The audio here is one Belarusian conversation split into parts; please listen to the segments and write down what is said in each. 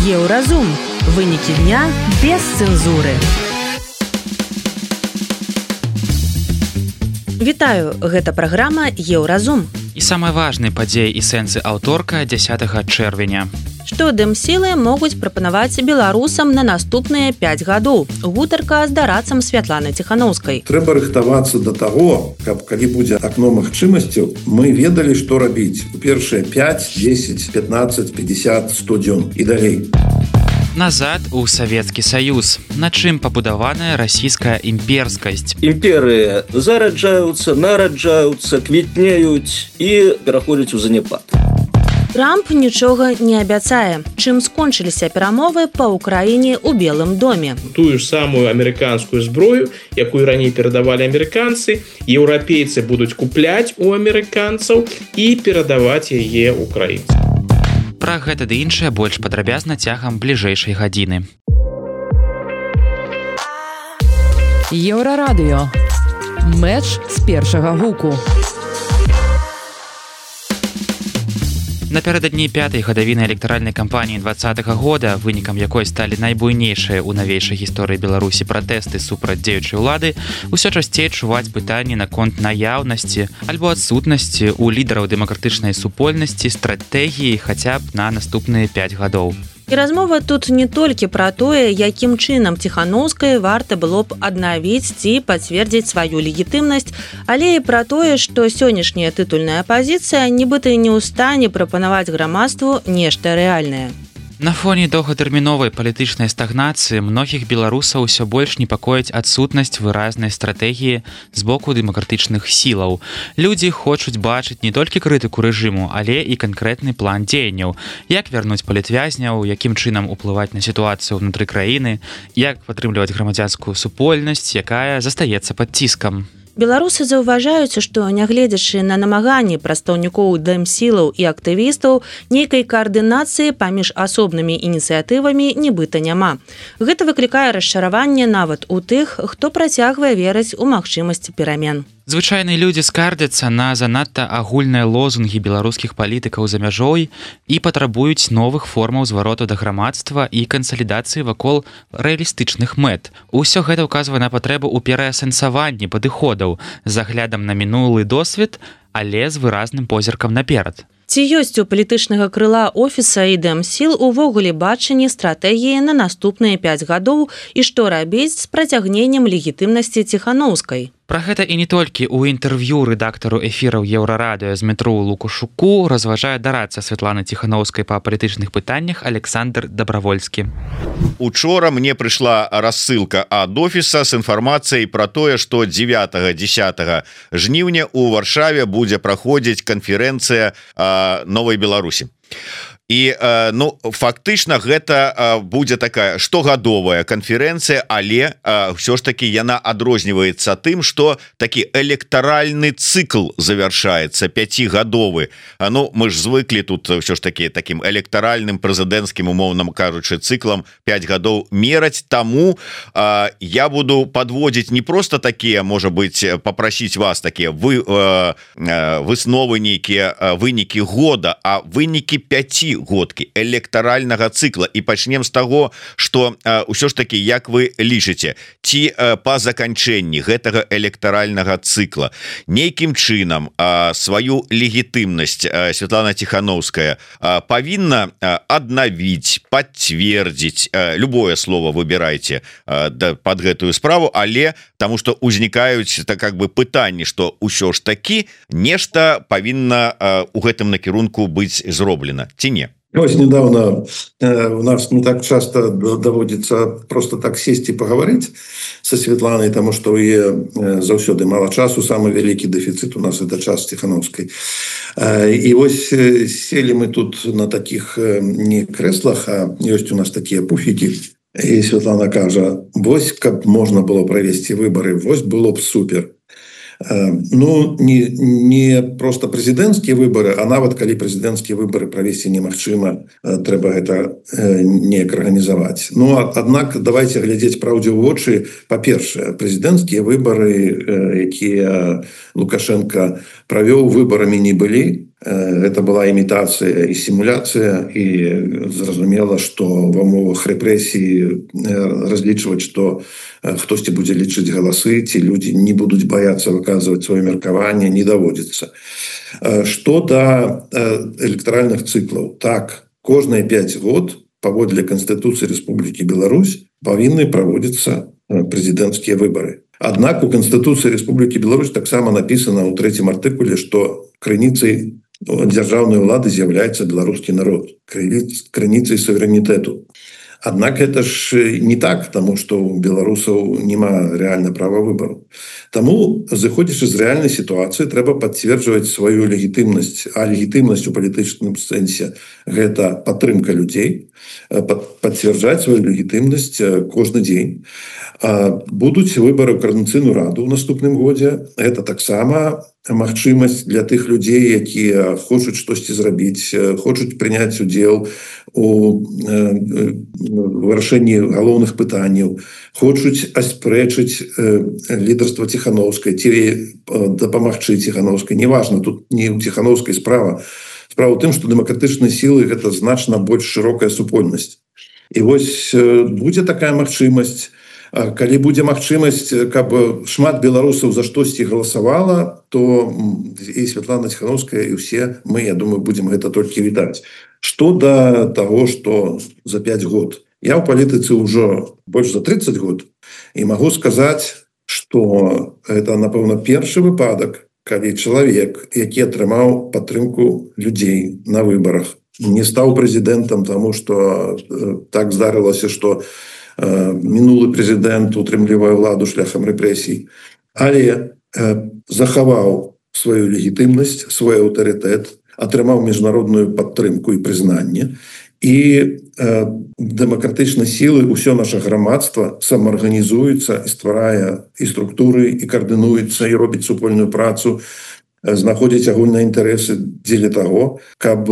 Еўразум. Вынікі дня без цэнзуры. Вітаю, гэта праграма Еўразум. І самыя важныя падзеі і сэнсы аўторка 10 чэрвеня. Што дэмсілы могуць прапанаваць беларусам на наступныя 5 гадоў. Гутарка з дарадцам Святланы Ціханаўскай. Трэба рыхтавацца да таго, каб калі будзе акно магчымасцяў, мы ведалі, што рабіць у першыя 5, 10, 15, 50, 100 дзён і далей. Назад у Савецкі Саюз. На чым пабудаваная расійская імперскасць? Імперыі зараджаюцца, нараджаюцца, квітнеюць і пераходзяць у заняпад. Трамп нічога не абяцае. Чым скончыліся перамовы па Ўкраіне ў Белым доме? Тую ж самую амерыканскую зброю, якую раней перадавалі амерыканцы, еўрапейцы будуць купляць у амерыканцаў і перадаваць яе ўкраінцам. Пра гэта ды іншае больш падрабязна цягам бліжэйшай гадзіны. Еўрарадыё. Мэч з першага гуку. Напярэдадні 5-й гадавіны электаральнай кампаніі 2020 года, вынікам якой сталі найбуйнейшыя ў навейшай гісторыі Беларусі пратэсты супраць дзеючай улады, усё часцей чуваць пытанні наконт наяўнасці альбо адсутнасці ў лідараў дэмакратычнай супольнасці стратэгіі хаця б на наступныя 5 гадоў. І размова тут не толькі пра тое, якім чынам Ціханаўскай варта было б аднавіць ці пацвердзіць сваю легітымнасць, але і пра тое, што сённяшняя тытульная апазіцыя нібыта не ў стане прапанаваць грамадству нешта рэальнае. На фоне доўгатэрміновай палітычнай стагнацыі многіх беларусаў усё больш непакоіць адсутнасць выразнай стратэгіі з боку дэмакратычных сілаў. Людзі хочуць бачыць не толькі крытыку рэжыму, але і канкрэтны план дзеянняў, як вярнуць палітвязняў, якім чынам уплываць на сітуацыю ўнутры краіны, як падтрымліваць грамадзянскую супольнасць, якая застаецца пад ціскам. Беларусы заўважаюць, што, нягледзячы на намаганні прадстаўнікоў дэмсілаў і актывістаў, нейкай каардынацыі паміж асобнымі ініцыятывамі нібыта няма. Гэта выклікае расчараванне нават у тых, хто працягвае верыць у магчымасць перамен. Звычайныя людзі скардзяцца на занадта агульныя лозунгі беларускіх палітыкаў за мяжой і патрабуюць новых формаў звароту да грамадства і кансалідацыі вакол рэалістычных мэт. Усё гэта ўказвае на патрэбу ў пераасэнсаванні падыходаў з аглядам на мінулы досвед, але з выразным позіркам наперад. Ці ёсць у палітычнага крыла офіса і дэмсіл увогуле бачанне стратэгіі на наступныя 5 гадоў і што рабіць з працягненнем легітымнасці Ціханаўскай? Пра гэта і не толькі ў інтэрв'ю рэдактару эфіраў Еўрарадыё Змітру Лукашуку разважае дарадца Святланы Ціханаўскай па палітычных пытаннях Александр Дабравольскі. Учора мне прыйшла рассылка ад офіса з інфармацыяй пра тое, што 9-10 жніўня ў Варшаве будзе праходзіць канферэнцыя Новай Беларусі. І фактычна гэта будзе такая штогадовая канферэнцыя, але ўсё ж таки яна адрозніваецца тым, што такі электаральны цыкл завяршаецца 5гадовы. Мы ж звыклі тут ўсё ж таки таким электаральным прэзідэнцкім, умоўным кажучы, цыклам 5 гадоў мераць. Таму я буду подводзіць не просто такія, можа быть, папрасіць вас такія высновы, нейкія вынікі года, а вынікі 5 годкі электаральнага цыкла. І пачнем з таго, што ўсё ж таки, як вы лічыце, ці па заканчэнні гэтага электаральнага цыкла нейкім чынам сваю легітымнасць Святлана Ціханаўская павінна аднавіць, пацвердзіць, любое слово выбірайце пад гэтую справу, але таму што узнікаюць как бы пытанні, што ўсё ж таки нешта павінна у гэтым накірунку быць зроблена, ці не? Ось недавно у нас не так часто доводится просто так сесть и поговорить со Светланой, потому что у нее заўсёды мало часу, самый великий дефицит у нас это час Ціханаўскай. И вот сели мы тут на таких не креслах, а есть у нас такие пуфики. И Светлана кажа, вось каб можно было провести выборы, вось было б супер. Не просто прэзідэнцкія выборы, а нават калі прэзідэнцкія выборы правесці немагчыма, трэба гэта неяк арганізаваць. Аднак давайте глядзець праўдзе ў вочы. Па-першае, прэзідэнцкія выборы, якія Лукашенко правёў, выбарамі не былі. это была имитация и симуляция, и зразумела, что в умовах рэпрэсіі разлічваць, что хтосьці будзе лічыць галасы, ці люди не будуць бояться выказывать свое меркаванне, не даводится. Что до электоральных циклов, так, кожные 5 год паводле Конституции Республики Беларусь павінны проводиться президентские выборы. Однако у Конституции Республики Беларусь таксама написано у 3-м артыкуле, что крыніцай дзяржаўнай улады з'яўляецца беларускі народ, крыніцай суверэнітэту. Однако это ж не так, потому что у белорусов нема реально права выбору. Тому, заходишь из реальной ситуации, треба подтверждать свою легитимность. А легитимность у политическом сенсе – это подтримка людей, подтверждать свою легитимность каждый день. Будут выборы в Координаційную раду в наступным годзе. Это так само магчымасць для тых людзей, якія хочуць штосьці зрабіць, хочуць прыняць удзел у вырашэнні галоўных пытанняў, хочуць аспрэчыць лідарства Ціхановскай ці дапамагчы Ціхановскай. Неважно, тут не у Ціхановскай справа. Справа ў тым, што дэмакратычныя сілы – гэта значна больш шырокая супольнасць. І вось будзе такая магчымасць. Калі будзе магчымасць, каб шмат беларусаў за штосьці галасавала, то і Святлана Ціхановская, і ўсе мы, я думаю, будзем гэта толькі вітаць. Што да таго, што за 5 год. Я ў палітыцы ўжо больш за 30 год і магу сказаць, што гэта, напэўна, першы выпадак, калі чалавек, які атрымаў падтрымку людзей на выбарах, не стаў прэзідэнтам, таму што так здарылася, што мінулы прэзідэнт утрымлівае ўладу шляхам рэпрэсій, але захаваў сваю легітымнасць, свой аўтарытэт, атрымаў міжнародную падтрымку і прызнанне. І дэмакратычныя сілы, ўсё наша грамадства самаарганізуецца і стварае і структуры, і каардынуецца, і робіць супольную працу, знаходзіць агульныя інтарэсы дзеля таго, каб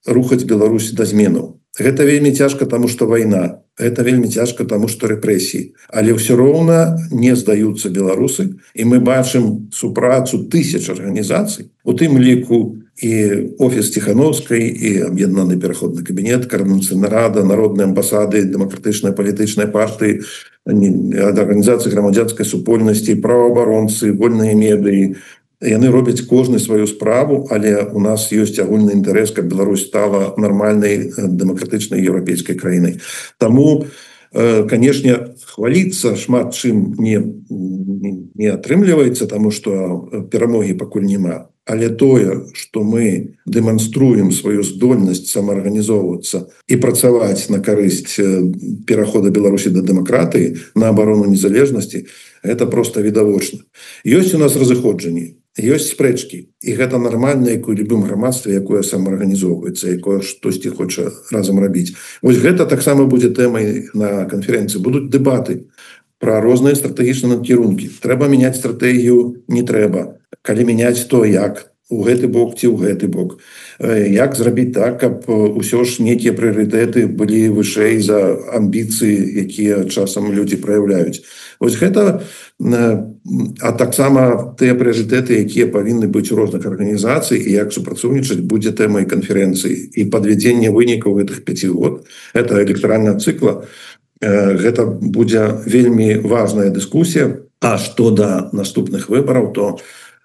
рухаць Беларусь да зменаў. Гэта вельмі цяжка, таму што вайна. Гэта вельмі цяжка, таму што рэпрэсіі. Але ўсё роўна не здаюцца беларусы. І мы бачым супрацу тысяч арганізацый. У тым ліку і офіс Ціхановскай, і аб'яднаны пераходны кабінет, Координаційная рада, народныя амбасады, дэмакратычныя палітычныя партыі, арганізацыі грамадзянскай супольнасці, праваабаронцы, вольныя медыі. Яны робяць кожны сваю справу, але у нас ёсць агульны інтарэс, каб Беларусь стала нармальнай дэмакратычнай еўрапейскай краінай. Таму, канешне, хваліцца шмат чым не атрымліваецца, таму што перамогі пакуль няма. Але тое, што мы дэманструем сваю здольнасць самаарганізоўвацца і працаваць на карысць перахода Беларусі да дэмакратыі, на абарону незалежнасці, гэта проста відавочна. Ёсць у нас разыходжанні, ёсць спрэчкі, і гэта нармальна, як у любым грамадстве, якое самаарганізоўваецца, якое штосьці хоча разам рабіць. Вось гэта таксама будзе тэмай на канферэнцыі. Будуць дэбаты пра розныя стратэгічныя накірункі. Трэба мяняць стратэгію, не трэба. Калі мяняць, то як? У гэты бок ці ў гэты бок? Як зрабіць так, каб усё ж нейкія прыярытэты былі вышэй за амбіцыі, якія часам людзі праяўляюць? Вось гэта, а таксама тыя прыярытэты, якія павінны быць у розных арганізацый, і як супрацоўнічаць, будзе тэмай канферэнцыі. І падвядзенне вынікаў гэтых 5 год, гэта электаральная цыкла, гэта будзе вельмі важная дыскусія. А што да наступных выбараў, то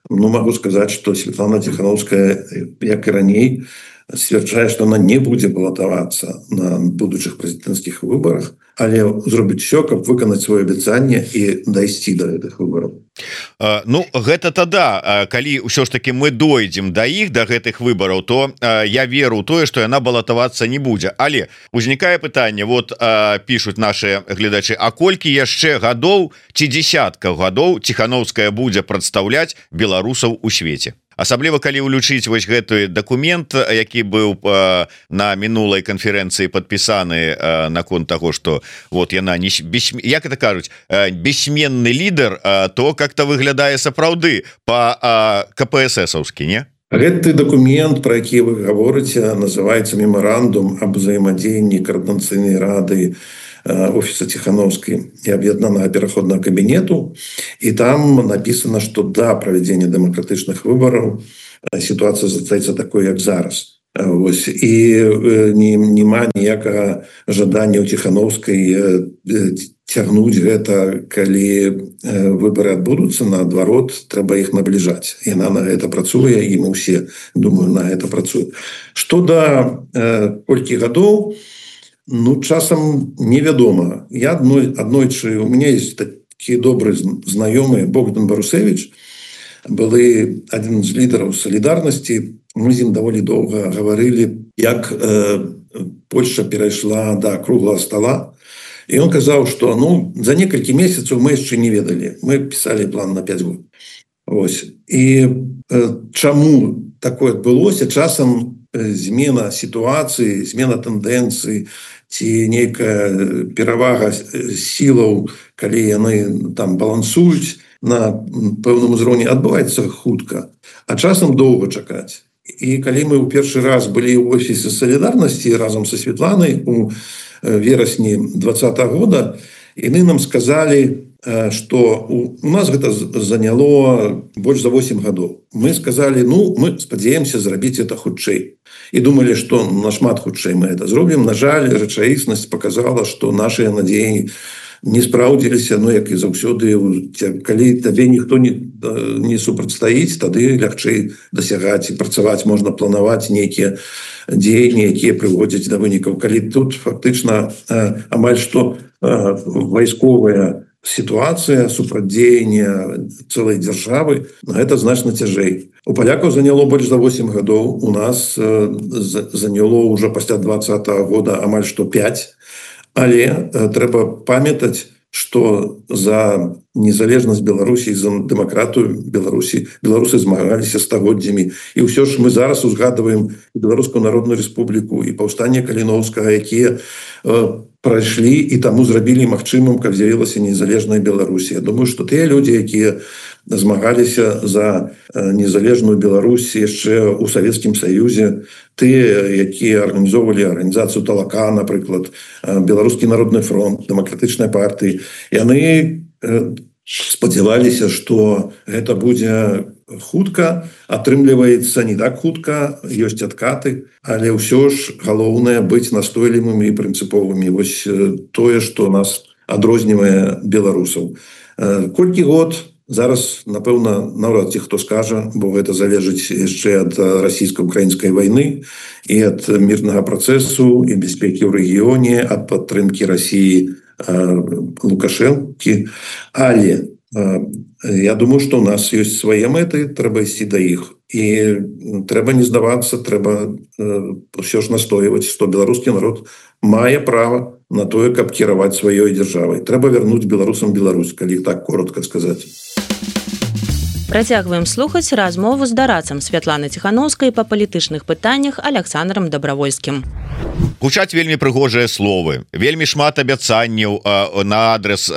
могу сказаць, што Святлана Ціхановская, як і раней, сцвярджае, што она не будзе балатавацца на будучых прэзідэнцкіх выбарах, але зробіць усё, каб выканаць сваё абяцанне і дайсці да гэтых выбараў. Ну, гэта тада, калі ўсё ж таки мы дойдзем да іх, да гэтых выбараў, то я веру ў тое, што яна балатавацца не будзе. Але узнікае пытанне, вот пішуць наши гледачы, а колькі яшчэ гадоў ці дзесяткаў гадоў Ціхановская будзе прадстаўляць беларусаў у свеце? Асабліва калі ўлічыць вось гэты дакумент, які быў на мінулай канферэнцыі падпісаны наконт таго, што вот яна не як это кажуць, бессменны лідар, то как-то выглядае сапраўды по КПССаўскі, не? Гэты дакумент, про які вы гаворыце, называецца мемарандум аб узаемадзеянні Координаційнай рады, офиса Ціхановскай і аб'яднанага пераходнага кабінету, і там написано, што да правядзення дэмакратычных выбараў ситуация застаецца такой, як зараз. Вось. І няма ніякага жадання ў Ціхановскай цягнуць гэта, калі выбары адбудуцца, наадварот, трэба іх набліжаць. Яна на гэта працуе, і мы ўсе, думаю, на гэта працуем. Што да колькі гадоў, ну, часам невядома. Я аднойчы, у меня есть такі добры знаёмы Богдан Барусевич, былы адзін з лідараў салідарнасці. Мы з ім даволі доўга гаварылі, як Польша перайшла да круглага стола. І ён казаў, што за некалькі месяцаў мы яшчэ не ведалі. Мы пісалі план на 5 год. Ось. І чаму такое адбылося? Часам змена сітуацыі, змена тэндэнцыі ці нейкая перавага сілаў, калі яны там балансуюць на пэўным узроўні, адбываецца хутка, а часам доўга чакаць. І калі мы ў першы раз былі ў офісе салідарнасці разам са Светланай у верасні 2020 года, яны нам сказалі, што у нас гэта заняло больш за 8 гадоў. Мы сказалі, мы спадзяемся зрабіць это хутчэй. І думалі, што нашмат хутчэй мы это зробім. На жаль, рэчаіснасць показала, што нашыя надзеі не спраўдзіліся, як і заўсёды, калі табе ніхто не супрацьстаіць, тады лягчэй дасягаць і працаваць, можна планаваць нейкія дзеянні, якія прыводзяць да вынікаў. Калі тут фактычна амаль што вайсковая сітуацыя, супрацьдзеянне цэлай дзяржавы, гэта значна цяжэй. У палякаў заняло больш за 8 гадоў, у нас заняло ўжо пасля 2020 года амаль што 5. Але трэба памятаць, што за незалежнасць Беларусі, за дэмакратыю беларусы змагаліся стагоддзямі. І ўсё ж мы зараз узгадваем Беларускую Народную Рэспубліку і паўстанне Каліноўскага, якія прайшлі і таму зрабілі магчымым, каб з'явілася незалежная Беларусь. Я думаю, што тыя людзі, якія змагаліся за незалежную Беларусь яшчэ ў Савецкім Саюзе, тыя, якія арганізоўвалі арганізацыю Талака, напрыклад, Беларускі народны фронт, дэмакратычнай партыі, яны спадзяваліся, што гэта будзе хутка, атрымліваецца не так хутка, ёсць адкаты, але ўсё ж галоўнае быць настойлівымі і прынцыповымі. Вось тое, што нас адрознівае беларусаў. Колькі год? Зараз, напэўна, наўрад ці хто скажа, бо гэта залежыць яшчэ ад расійска-украінскай вайны і ад мірнага працэсу і бяспекі ў рэгіёне, ад падтрымкі Расіі Лукашэнкі. Але я думаю, што ў нас ёсць свае мэты, трэба ісці да іх. І трэба не здавацца, трэба ўсё ж настойваць, што беларускі народ мае права на тое, каб кіраваць сваёй дзяржавай. Трэба вярнуць беларусам Беларусь, калі так коротка сказаць. Працягваем слухаць размову з дарадцам Святланы Ціхановскай па палітычных пытаннях Александром Добравольскім. Гучаць вельмі прыгожыя словы, вельмі шмат абяцанняў на адрес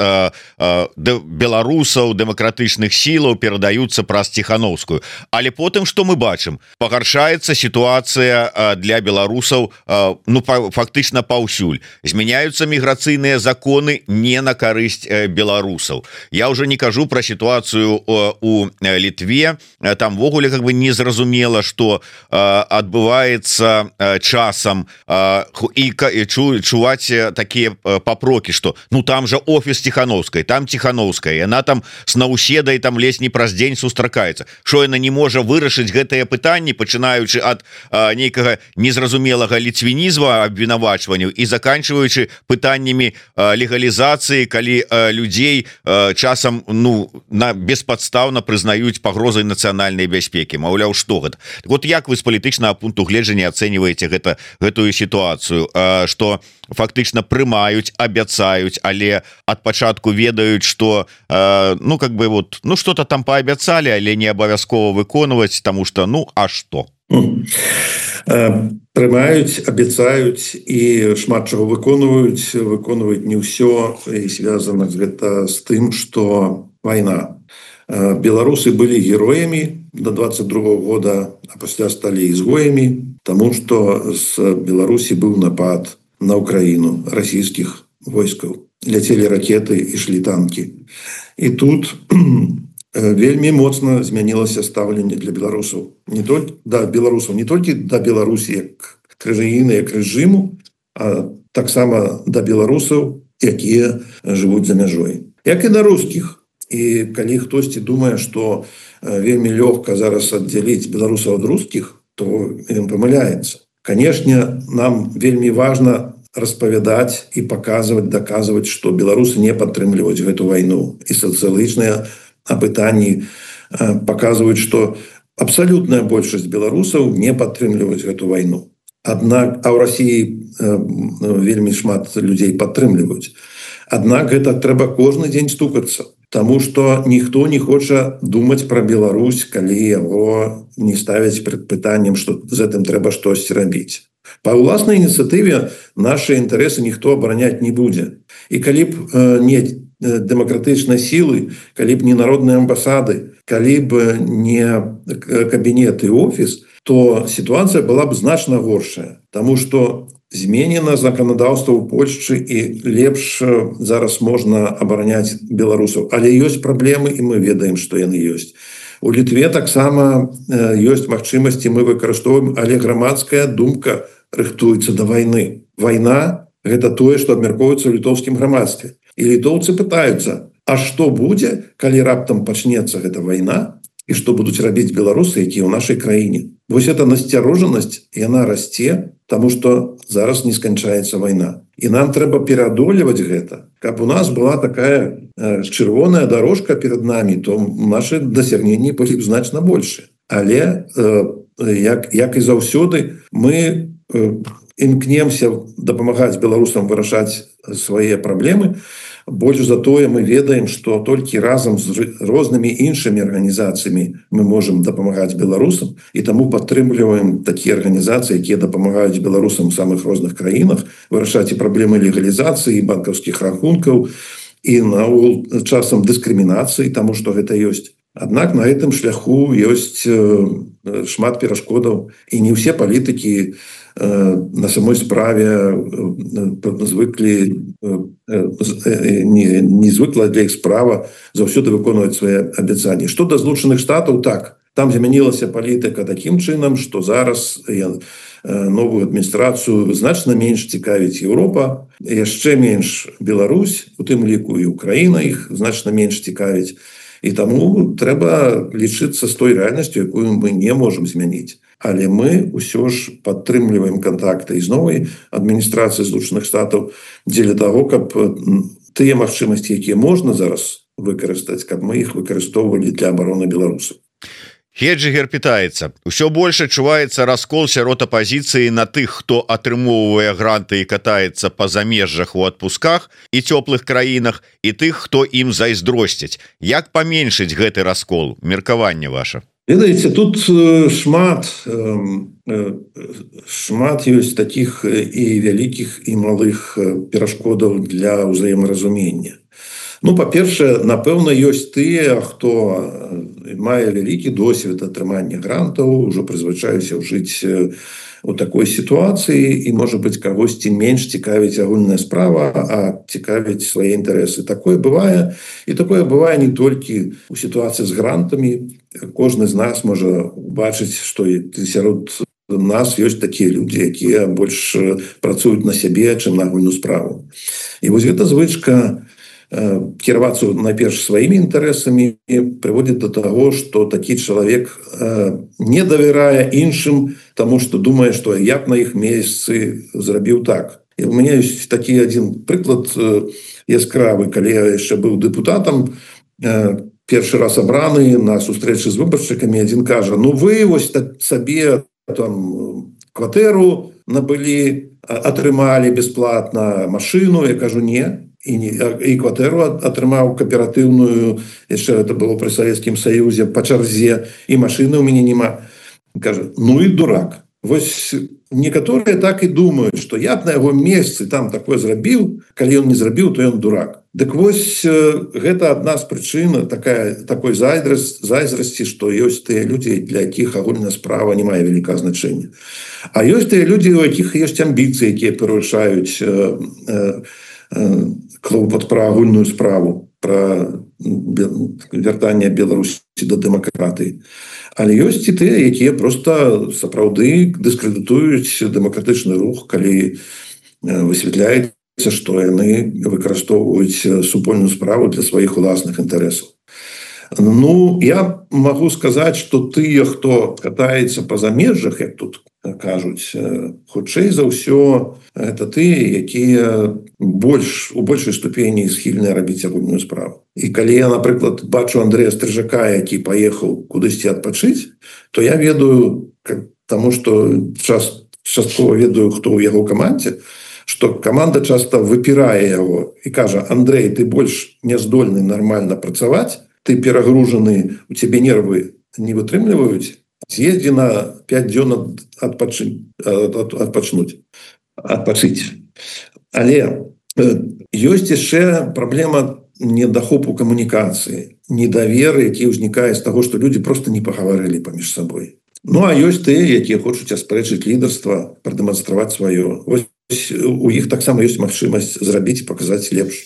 беларусаў, дэмакратычных сілаў перадаюцца праз Ціхановскую. Але потым, што мы бачым? Пагаршаецца сітуацыя для беларусаў фактычна паўсюль. Змяняюцца міграцыйныя законы не на карысць беларусаў. Я ўжо не кажу пра сітуацыю у Літве. Там ввогуле незразумела, што адбываецца часам, і чуваць такія папрокі, што там жа офіс Ціхановскай, там Ціхановская, яна там с Наўседай там ледзь не праз дзень сустракаецца. Што яна не можа вырашыць гэтыя пытанні, пачынаючы ад нейкага незразумелага ліцвінізма, абвінавачванняў і заканчваючы пытаннямі легалізацыі, калі людзей часам беспадстаўна прызнаюць пагрозай нацыянальнай бяспекі. Маўляў, што гэта? Вот як вы з палітычнага пункту гледжання ацэньваеце гэтую сітуацыю, што фактычна прымаюць, абяцаюць, але ад пачатку ведаюць, што что-то там паабяцалі, але не абавязкова выконваць, таму што а што? Прымаюць, абяцаюць і шмат чаго выконваюць не ўсё, і звязана гэта з тым, што вайна. Беларусы былі героямі до 22 года, а пасля сталі ізгоямі, таму што з Беларусі быў напад на Украіну расійскіх войскаў. Ляцелі ракеты, ішлі танкі. І тут вельмі моцна змянілася стаўленне для беларусаў, не толькі да беларусаў, не толькі да Беларусі як краіны, як рэжыму, а таксама да беларусаў, якія жывуць за мяжой, як і да рускіх. І калі хтосьці думае, што вельмі лёгка зараз аддзяліць беларусаў ад рускіх, то ён памыляецца. Канешне, нам вельмі важна распавядаць і паказваць, даказваць, што беларусы не падтрымліваюць гэту вайну. І сацыялагічныя апытанні паказваюць, што абсалютная большасць беларусаў не падтрымліваюць гэту вайну. Аднак, а ў Расіі вельмі шмат людзей падтрымліваюць. Аднак гэта трэба кожны дзень стукацца, таму што ніхто не хоча думаць пра Беларусь, калі яго не ставяць перад пытаннем, што з гэтым трэба штосьці рабіць. Па ўласнай ініцыятыве нашы інтарэсы ніхто абараняць не будзе. І калі б не дэмакратычнай сілы, калі б не народныя амбасады, калі б не кабінет і офіс, то сітуацыя была б значна горшая, таму што зменена заканадаўства ў Польшчы і лепш зараз можна абараняць беларусаў. Але ёсць праблемы, і мы ведаем, што яны ёсць. У Літве таксама ёсць магчымасці, мы выкарыстоўваем, але грамадская думка рыхтуецца да вайны. Вайна – гэта тое, што абмяркоўваецца ў літоўскім грамадстве. І літоўцы пытаюцца, а што будзе, калі раптам пачнецца гэта вайна, і што будуць рабіць беларусы, якія ў нашай краіне. Вось эта насцярожанасць, яна расце, таму што зараз не сканчаецца вайна. І нам трэба пераадолеваць гэта. Каб у нас была такая чырвоная дорожка перад намі, то нашы дасягненні былі б значна больше. Але, як і заўсёды, мы імкнемся дапамагаць беларусам вырашаць свае праблемы. Больш за тое мы ведаем, што толькі разам з рознымі іншымі арганізацыямі мы можам дапамагаць беларусам, і таму падтрымліваем такія арганізацыі, якія дапамагаюць беларусам у самых розных краінах вырашаць і праблемы легалізацыі, банкаўскіх рахункаў і наогул часам дыскрымінацыі, таму што гэта ёсць. Аднак на гэтым шляху ёсць шмат перашкодаў, і не ўсе палітыкі на самой справе звыклі не звыкла для іх справа заўсёды выконваць свае абяцанні. Што да Злучаных Штатаў, так, там змянілася палітыка такім чынам, што зараз новую адміністрацыю значна менш цікавіць Еўропа, яшчэ менш Беларусь, у тым ліку і Украіна іх значна менш цікавіць. І таму трэба лічыцца з той рэальнасцю, якую мы не можам змяніць. Але мы ўсё ж падтрымліваем кантакты з новай адміністрацыяй Злучаных Штатаў дзеля таго, каб тыя магчымасці, якія можна зараз выкарыстаць, каб мы іх выкарыстоўвалі для абароны беларусаў. Хеджигер пытаецца: усё больш адчуваецца раскол сярод апазіцыі на тых, хто атрымоўвае гранты і катаецца па замежжах у адпусках і цёплых краінах, і тых, хто ім зайздросціць. Як паменшыць гэты раскол? Меркаванне ваша. Ведаеце, тут шмат ёсць такіх і вялікіх, і малых перашкодаў для ўзаемаразумення. Ну, па-першае, напэўна, ёсць тыя, хто мае вялікі досвед атрымання грантаў, ужо прызвычаюся жыць у такой сітуацыі, і, можа быць, кагосьці менш цікавіць агульная справа, а цікавіць свае інтарэсы. Такое бывае, і такое бывае не толькі у сітуацыі з грантамі. Кожны з нас можа бачыць, што сярод нас ёсць такія людзі, якія больш працуюць на сябе, чым на агульную справу. І вось гэта звычка кіравацца найперш сваімі інтарэсамі прыводзіць да таго, што такі чалавек не давярае іншым, таму што думае, што я б на іх месцы зрабіў так. І у мяне ёсць такі адзін прыклад яскравы, калі я яшчэ быў дэпутатам, першы раз абраны на сустрэчы з выбаршчыкамі, адзін кажа: ну вы вось сабе там кватэру набылі, атрымалі бясплатна машыну. Я кажу: не. І кватэру атрымаў кааператыўную, яшчэ это было пры Савецкім Саюзе, па чарзе, і машыны ў мяне няма. Кажа: ну і дурак. Вось некаторыя так і думаюць, што я б на яго месцы там такое зрабіў, калі ён не зрабіў, то ён дурак. Дык вось гэта адна з прычын такой зайздрасці, што ёсць тыя людзі, для якіх агульная справа не мае вялікага значэння. А ёсць тыя людзі, у якіх ёсць амбіцыі, якія перавышаюць клопат пра агульную справу. пра вяртанне Беларусі да дэмакратыі. Але ёсць і тыя, якія проста сапраўды дыскрэдытуюць дэмакратычны рух, калі высвятляецца, што яны выкарыстоўваюць супольную справу для сваіх уласных інтарэсаў. Ну, я магу сказаць, што тыя, хто катаецца па замежжах, як тут кажуць, хутчэй за ўсё это тыя, якія у большай ступені схільныя рабіць агульную справу. І калі я, напрыклад, бачу Андрэя Стрыжака, які паехаў кудысьці адпачыць, то я ведаю, таму што часткова ведаю, хто ў яго камандзе, што каманда часта выпірае яго і кажа: Андрэй, ты больш не здольны нармальна працаваць, ты перагружаны, у цябе нервы не вытрымліваюць, з'ездзі на 5 дзён адпачыць. Але ёсць яшчэ праблема недахопу камунікацыі, недавер, які ўзнікае з таго, што людзі проста не пагаварылі паміж сабой. Ну, а ёсць тыя, якія хочуць аспрэчыць лідарства, прадэманстраваць сваё. Вось у іх таксама ёсць магчымасць зрабіць і паказаць лепш.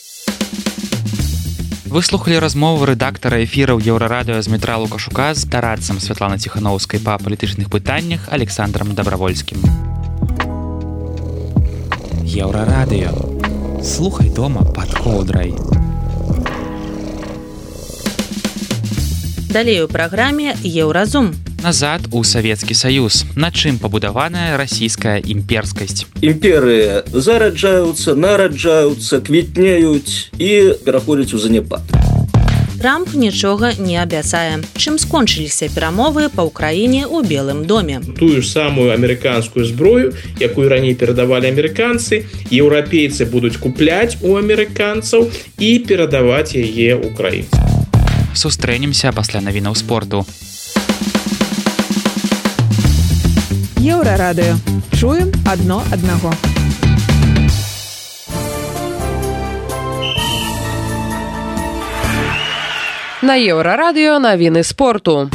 Вы слухали размову рэдактара эфіраў Еўрарадыё Змітра Лукашука з дарадцам Святланы Ціханаўскай па палітычных пытаннях Александром Добравольскім. Еўрарадыё. Слухай дома пад коўдрай. Далей у праграме Еўразум. Назад у Савецкі Саюз. На чым пабудаваная расійская імперскасць? Імперыі зараджаюцца, нараджаюцца, квітнеюць і пераходзяць у заняпад. Трамп нічога не абяцае. Чым скончыліся перамовы па ўкраіне ў Белым доме? Тую ж самую амерыканскую зброю, якую раней перадавалі амерыканцы, еўрапейцы будуць купляць у амерыканцаў і перадаваць яе ўкраінцам. Сустрэнемся пасля навінаў спорту. Еўрарадыё. Чуем адно аднаго. На Еўрарадыё навіны спорту.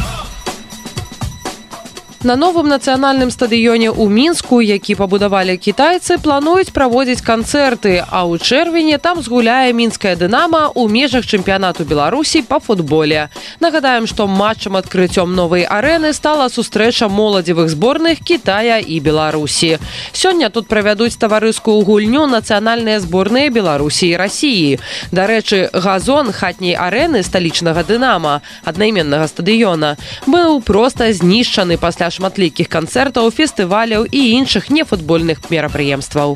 На новым нацыянальным стадыёне ў Мінску, які пабудавалі кітайцы, плануюць праводзіць канцэрты, а ў чэрвені там згуляе мінская «Дынама» ў межах чэмпіянату Беларусі па футболе. Нагадаем, што матчам адкрыццём новай арэны стала сустрэча моладзевых зборных Кітая і Беларусі. Сёння тут правядуць таварыскую гульню нацыянальныя зборныя Беларусі і Расіі. Дарэчы, газон хатняй арэны сталічнага «Дынама», аднайменнага стадыёна, быў проста знішчаны пасля шматлікіх канцэртаў, фестываляў і іншых нефутбольных мерапрыемстваў.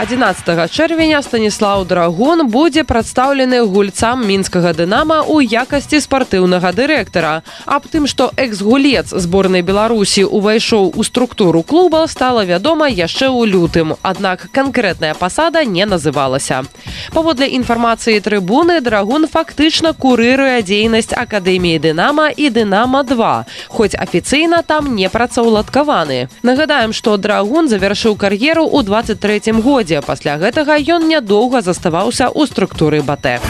11 чэрвеня Станіслаў Драгун будзе прадстаўлены гульцам мінскага «Дынама» ў якасці спартыўнага дырэктара. Аб тым, што экс-гулец зборнай Беларусі увайшоў у структуру клуба, стала вядома яшчэ ў лютым, аднак канкрэтная пасада не называлася. Паводле інфармацыі трыбуны, Драгун фактычна курыруе дзейнасць акадэміі «Дынама» і «Дынама-2», хоць афіцыйна там не працаўладкаваны. Нагадаем, што Драгун завяршыў кар'еру ў 23-м годзе. Пасля гэтага ён нядоўга заставаўся ў структуры БАТЭ.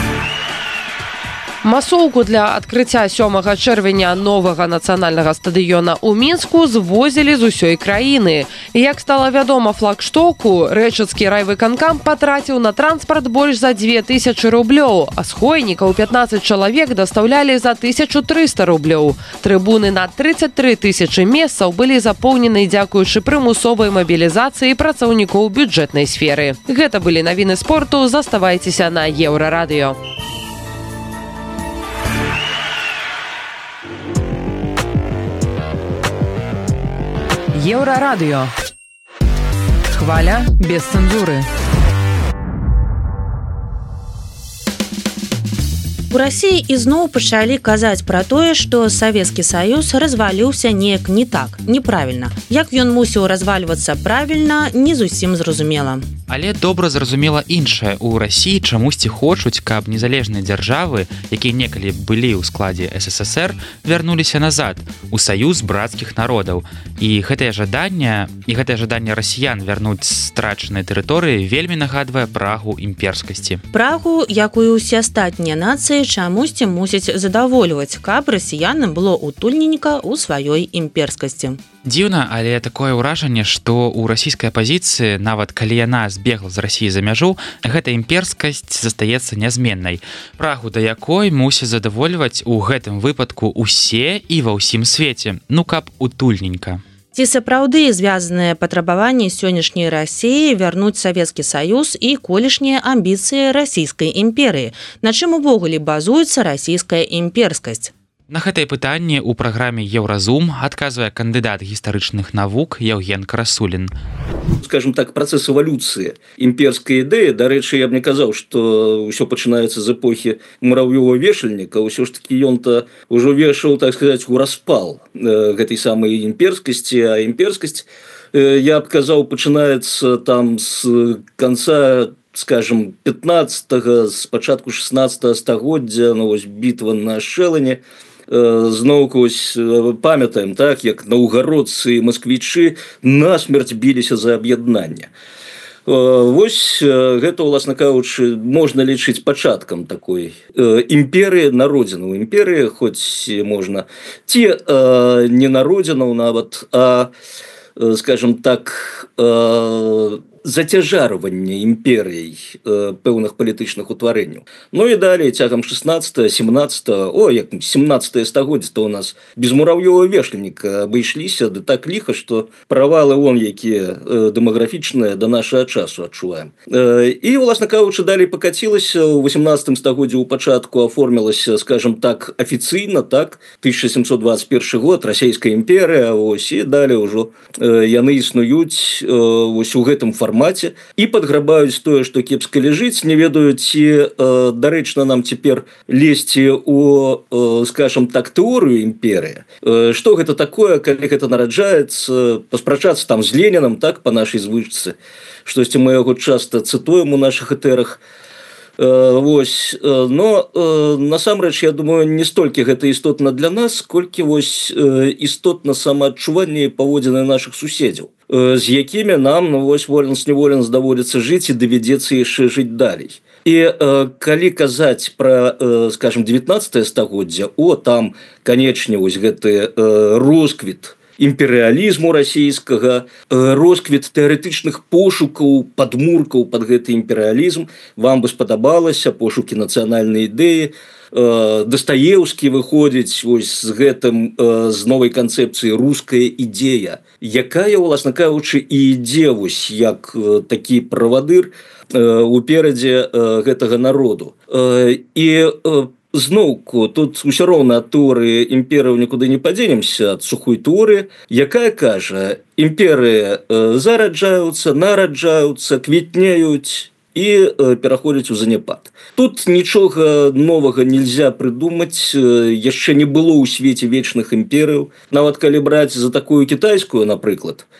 Масоўку для адкрыцця 7 чэрвеня новага нацыянальнага стадыёна ў Мінску звозілі з усёй краіны. Як стала вядома флагштоку, рэчыцкі райвыканкам патраціў на транспарт больш за 2000 рублёў, а схойнікаў 15 чалавек дастаўлялі за 1300 рублёў. Трыбуны на 33 000 месцаў былі запоўнены дзякуючы прымусовай мабілізацыі працаўнікоў бюджэтнай сферы. Гэта былі навіны спорту, заставайцеся на Еўрарадыё. Еўрарадыё. Хваля без цэнзуры. У Расіі ізноў пачалі казаць пра тое, што Савецкі Саюз разваліўся неяк не так, неправільна. Як ён мусіў развальвацца правільна, не зусім зразумела. Але добра зразумела іншае. У Расіі чамусьці хочуць, каб незалежныя дзяржавы, якія некалі былі ў складзе СССР, вярнуліся назад у саюз брацкіх народаў. І гэтае жаданне расіян вярнуць страчаныя тэрыторыі вельмі нагадвае прагу імперскасці. Прагу, як і ўсе астатнія нацыі, чамусьці мусіць задавольваць, каб расіянам было утульненька ў сваёй імперскасці. Дзіўна, але такое ўражанне, што ў расійскай апазіцыі, нават калі яна збегла з Расіі за мяжу, гэта імперскасць застаецца нязменнай. Прагу да якой мусіць задавольваць у гэтым выпадку усе і ва ўсім свеце. Ну, каб утульненька. Ці сапраўды звязаныя патрабаванні сённяшняй Расіі вярнуць Савецкі Саюз і колішнія амбіцыі расійскай імперыі? На чым увогуле базуецца расійская імперскасць? На гэтае пытанне ў праграме «Еўразум» адказвае кандыдат гістарычных навук Яўген Красулін. Скажем так, процесс эволюции имперской идеи, дарэчы, я б не казаў, что ўсё пачынаецца з эпохи муравьёва-вешальніка, ўсё ж таки ён-то ўжо вешаў, так сказать, у распал гэтай самой имперскасці, а имперскасць, я б казаў, пачынаецца там с конца, скажем, 15-го, с пачатку 16-го стагоддзя, ну, вось бітва на Шэлане. Зноўку памятаем, так, як наўгародцы і масквічы насмерць біліся за аб'яднанне. Вось гэта, уласна кажучы, можна лічыць пачаткам такой імперыі, народзінаў імперыі, хоць можна ці не народзінаў нават, а, скажем так, зацяжарванне імперыяй пэўных палітычных утварэнняў. Ну і далей цягам 17 стагоддзя то у нас без муравьёва вешальніка абышліся, да так ліха, што правалы вон якія дэмаграфічныя да нашага часу адчуваем. І, уласна кажучы, далей пакацілася ў 18 стагоддзі ў пачатку аформілася, скажем так, афіцыйна, так, 1721 год, Расійская імперыя, ось, і далей ўжо яны існуюць вось у гэтым фармаце і падграбаюць тое, што кепска ляжыць, не ведаюць, ці дарэчна нам цяпер лезці у, скажем так, тэорыю імперыі. Што гэта такое, калі гэта нараджаецца, паспрачацца там з Ленінам, так, па нашай звычцы, штосьці мы яго часта цытуем у нашых этэрах. Вось, но насамрэч, я думаю, не столькі гэта істотна для нас, колькі вось істотна самаадчуванне і паводзіны нашых суседзяў, з якімі нам, ну, вось, воленс-неволенс даводзіцца жыць і давядзецца яшчэ жыць далей. І калі казаць пра, скажем, 19 стагоддзя, там, канечне, вось гэты росквіт імперыялізму расійскага, росквіт тэарэтычных пошукаў, падмуркаў пад гэты імперыялізм, вам бы спадабалася, пошукі нацыянальнай ідэі, Дастаеўскі выходзіць вось з гэтым, з новай канцэпцыі руская ідзея, якая, уласна кажучы, і ідзе вось як такі правадыр уперадзе гэтага народу. І зноўку, тут усё роўна ад тэорыі імперыяў нікуды не падзенемся, ад сухой тэорыі, якая кажа, імперыі зараджаюцца, нараджаюцца, квітнеюць і пераходзяць у заняпад. Тут нічога новага нельзя прыдумаць, яшчэ не было ў свеце вечных імперыяў, нават калі браць за такую кітайскую, напрыклад.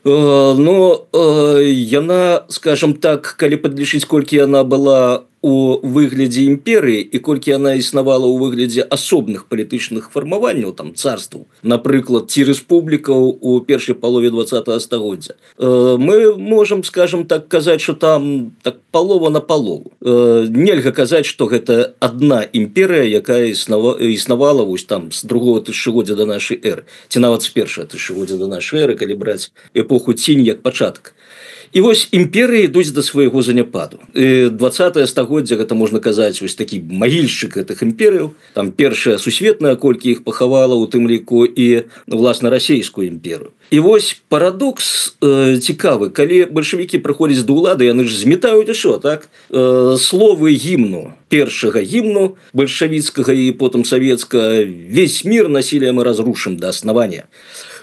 Но яна, скажем так, калі падлічыць, колькі яна была у выглядзе імперыі і колькі яна існавала ў выглядзе асобных палітычных фармаванняў, там, царстваў, напрыклад, ці рэспублікаў у першай палове 20-го стагоддзя, мы можам, скажем так, казаць, што там так палова на палову. Нельга казаць, што гэта адна імперыя, якая існавала вось там з другого тысячагоддзя да нашай эры, ці нават з першага тысячагоддзя да нашай эры, калі браць эпоху Цінь як пачатак. І вось імперыі ідуць да свайго заняпаду. 20-е стагоддзя, гэта можна казаць, вось такі магільшчык гэтых імперыяў. Там першая сусветная, колькі іх пахавала, у тым ліку і, власна, расійскую імперыю. І вось парадокс цікавы. Калі бальшавікі прыходзяць да ўлады, яны ж зметаюць усё, так? Словы гімну, першага гімну, бальшавіцкага і потым савецкага, весь мир насилием мы разрушим до основания.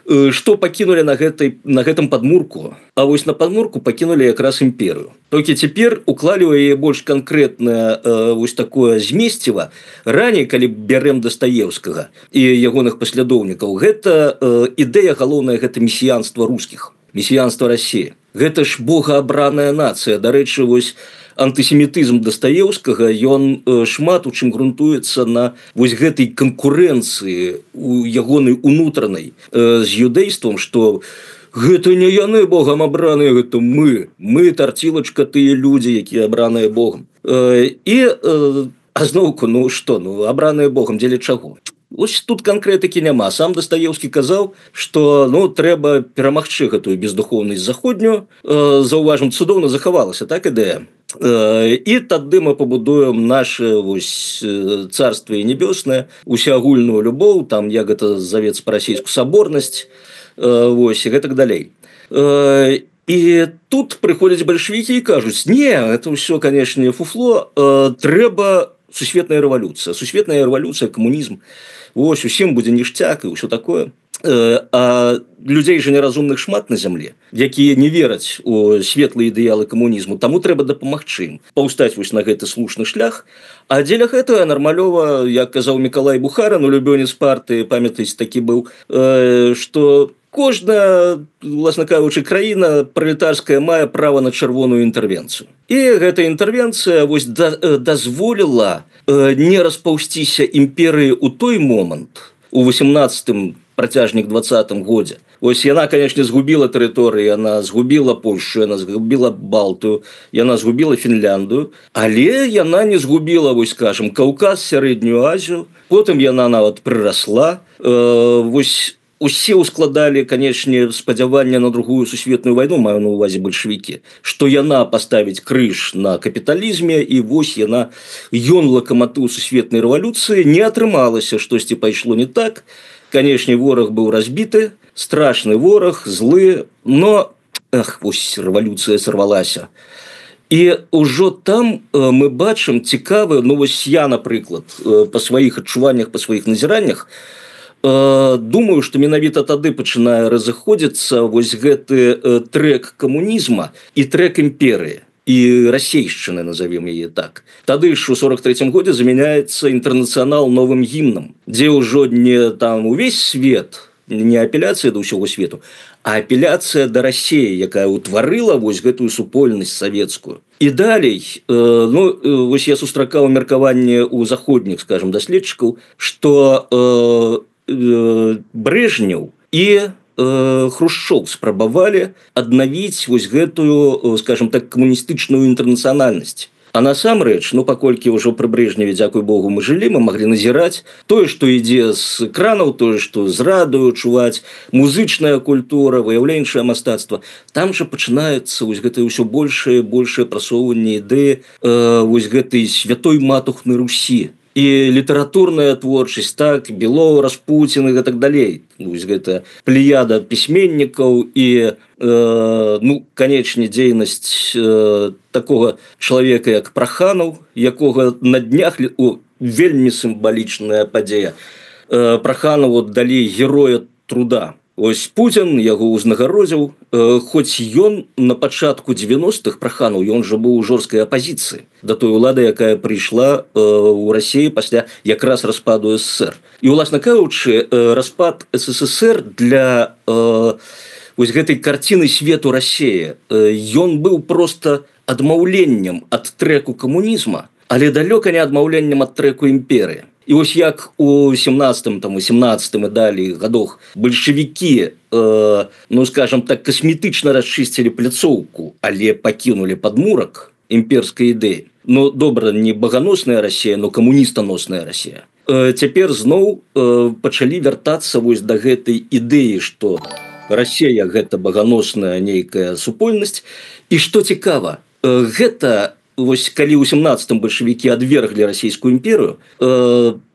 Што пакінулі на гэтым падмурку, а вось на падмурку пакінулі якраз імперыю. Толькі цяпер уклалі ў яе больш канкрэтнае вось такое змесціва. Раней, калі бярэм Дастаеўскага і ягоных паслядоўнікаў, гэта ідэя галоўная, гэта месіянства рускіх, месіянства Расіі. Гэта ж богаабраная нацыя. Дарэчы, вось антысемітызм Дастаеўскага, ён шмат у чым грунтуецца на вось гэтай канкурэнцыі у ягонай унутранай з юдэйствам, што гэта не яны богам абраныя, гэта мы тарцілачка, тыя людзі, якія абраныя богам. І зноўку, ну што, ну абраныя богам дзеля чаго? Вось тут канкрэтыкі няма. Сам Дастаеўскі казаў, што трэба перамагчы гэтую бездухоўнасць заходнюю. Заўважым, цудоўна захавалася так ідэя. І тады мы пабудуем наше царство небёснае, усеагульную любоў, там як гэта завецца па-расейску саборнасць, і гэтак далей. І тут прыходзяць бальшавікі і кажуць: не, это ўсё, канешне, фуфло, трэба сусветная рэвалюцыя, камунізм. Усім будзе ніштяк і ўсё такое. А людзей жа неразумных шмат на зямле, якія не вераць у светлыя ідэалы камунізму, таму трэба дапамагчы ім паўстаць на гэты слушны шлях. А дзеля гэтага нармалёва, як казаў Мікалай Бухарин, улюбёнец партыі, памятаеце, такі быў, што кожная, власна кажучы, краіна пралетарская мае права на чырвоную інтэрвенцыю. І гэта інтэрвенцыя дазволіла не распаўсціся імперыі ў той момант, у 18-м, працяжнік 20-м годзе. Яна, канешне, згубіла тэрыторыі, яна згубіла Польшу, яна згубіла Балтыю, яна згубіла Фінляндыю, але яна не згубіла, скажем, Каўказ, Сярэднюю Азію, потым яна нават прырасла. Усе ўскладалі, канешне, спадзяванне на другую сусветную вайну, маю на ўвазе бальшавікі, што яна паставіць крыж на капіталізме, і ён лакаматыў сусветнай рэвалюцыі. Не атрымалася, штосьці пайшло не так. Канешне, вораг быў разбіты, страшны вораг, злы, но рэвалюцыя сарвалася. І ўжо там мы бачым цікавы, я, напрыклад, па сваіх адчуваннях, па сваіх назіраннях, думаю, што менавіта тады пачынае разыходзіцца гэты трэк камунізма і трэк імперыі. І расейшчыны, назовем яе так. Тады ж у 43-м годзе замяняецца інтэрнацыянал новым гімнам, дзе ўжо не там увесь свет, не апеляцыя да ўсяго свету, а апеляцыя да Расіі, якая ўтварыла гэтую супольнасць савецкую. І далей, я сустракаў меркаванне ў заходніх, скажем, даследчыкаў, што Брежнеў і Хрушчоў спрабавалі аднавіць гэтую, скажем так, камуністычную інтэрнацыянальнасць. А насамрэч, паколькі ўжо пры Брежневе, дзякуй Богу, мы жылі, мы маглі назіраць тое, што ідзе з экранаў, тое, што з радыё чуваць, музычная культура, выяўленчае мастацтва. Там жа пачынаецца гэтае ўсё большае прасоўванне ідэі гэтай святой матухны Русі. І літаратурная творчасць, так, Белоў, Распуцін і так далей. Гэта плеяда пісьменнікаў і, канечне, дзейнасць такога чалавека, як Праханаў, якога на днях, вельмі сімвалічная падзея, Праханаву далі героя труда. Пуцін яго ўзнагародзіў, хоць ён на пачатку 90-х, Праханаў, ён жа быў у жорсткай апазіцыі да той улады, якая прыйшла ў Расіі пасля якраз распаду СССР. І, уласна кажучы, распад СССР для гэтай карціны свету Расіі, ён быў проста адмаўленнем ад трэку камунізма, але далёка не адмаўленнем ад трэку імперыі. І як у 17-м, 18-м і далей гадах бальшавікі, скажем так, касметычна расчысцілі пляцоўку, але пакінулі падмурак імперскай ідэі. Добра, не баганосная Расія, но камуністаносная Расія. Цяпер зноў пачалі вяртацца да гэтай ідэі, што Расія – гэта баганосная нейкая супольнасць. І што цікава, гэта калі ў 17-м бальшавікі адверглі расійскую імперыю,